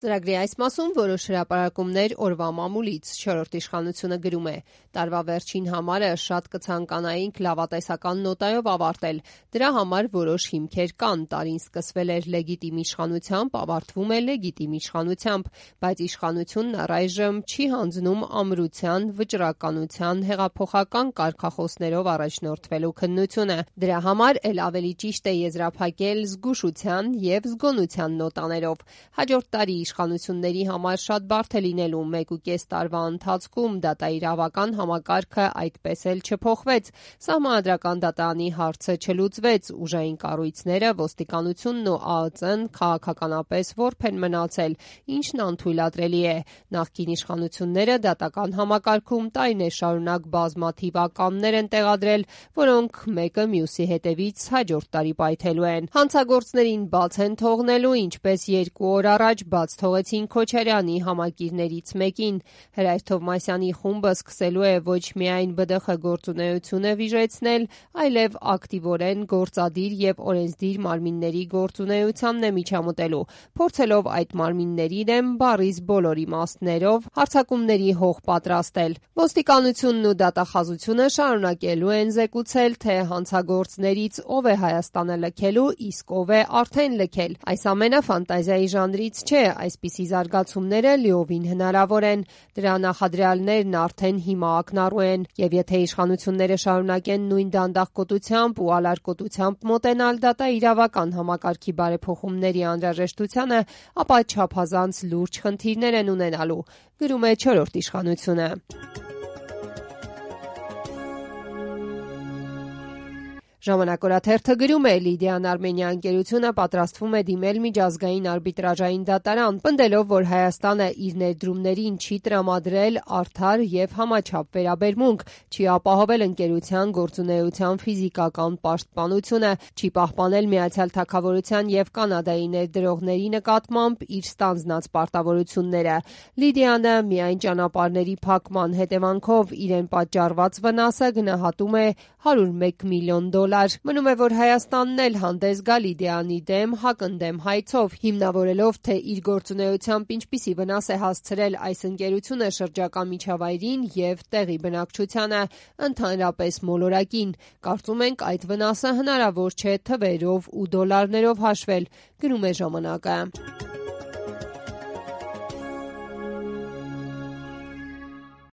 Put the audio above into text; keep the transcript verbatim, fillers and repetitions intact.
Ծրագրի այս մասում որոշ հրապարակումներ օրվա մամուլից, չորրորդ իշխանությունը գրում է. տարվա վերջին համարը շատ կցանկանայինք լավատեսական նոտայով ավարտել, դրա համար որոշ հիմքեր կան, տարին սկսվել էր լեգիտիմ իշխանությամբ, ավարտվում է լեգիտիմ իշխանությամբ, բայց իշխանությունն առայժմ չի հանձնում ամրության, վճռականության, հեղափոխական կարգախոսներով առաջնորդվելու քննությունը, դրա համար էլ ավելի ճիշտ է եզրափակել զգուշության և զգոնության նոտաներով, հաջորդ տարի իշխանությունների համար շատ բարդ է լինելու, մեկուկես տարվա ընթացքում դատաիրավական համակարգը այդպես էլ չփոխվեց, սահմանադրական դատարանի հարցը չլուծվեց, ուժային կառույցները, ոստիկանությունն ու ԱԸԾ-ն քաղաքականապես որբ են մնացել, ինչն անթույլատրելի է, նախկին իշխանությունները դատական համակարգում տարիներ շարունակ բազմաթիվ ականներ են տեղադրել, որոնք մեկը մյուսի հետևից հաջորդ տարի պայթելու են, հանցագործներին բաց են թողնելու, ինչպես երկու օր առաջ բաց թողեցին Քոչարյանի համակիրներից մեկին, Հրայր Թովմասյանի խումբը սկսելու է ոչ միայն ԲԴԽ գործունեությունը վիժեցնել, այլև ակտիվորեն գործադիր և օրենսդիր մարմինների գործունեությանն է միջամտելու, փորձելով այդ մարմինների դեմ բառիս բոլոր իմաստներով հարձակումների հող պատրաստել, ոստիկանությունն ու դատախազությունը շարունակելու են զեկուցել, թե հանցագործներից ով է Հայաստանը լքելու, իսկ ով է արդեն լքել, այս ամենը ֆանտազիայի ժանրից չէ, այսպիսի զարգացումները լիովին հնարավոր են, դրա նախադրյալներն արդեն հիմա ակնառու են, և եթե իշխանությունները շարունակեն նույն դանդաղկոտությամբ ու ալարկոտությամբ մոտենալ դատաիրավական համակարգի բարեփոխումների անհրաժեշտությանը, ապա չափազանց լուրջ խնդիրներ են ունենալու, գրում է չորրորդ իշխանությունը։ Ժամանակ օրաթերթը գրում է. Լիդիան Արմենիա ընկերությունը պատրաստվում է դիմել միջազգային արբիտրաժային դատարան, պնդելով, որ Հայաստանը իր ներդրումներին չի տրամադրել արդար և համաչափ վերաբերմունք, չի ապահովել ընկերության գործունեության ֆիզիկական պաշտպանությունը, չի պահպանել Միացյալ Թագավորության և Կանադայի ներդրողների նկատմամբ իր ստանձնած պարտավորությունները։ Լիդիանը միայն ճանապարհների փակման հետևանքով իրեն պատճառված վնասը գնահատում է հարյուր մեկ միլիոն դոլար։ Մնում է, որ Հայաստանն էլ հանդես գա Լիդիանի դեմ հակընդդեմ հայցով, հիմնավորելով, թե իր գործունեությամբ ինչպիսի վնաս է հասցրել այս ընկերությունը շրջակա միջավայրին և տեղի բնակչությանը, ընդհանրապես մոլորակին։ Կարծում ենք, այդ վնասը հնարավոր չէ թվերով ու դոլարներով հաշվել, գրում է ժամանակը։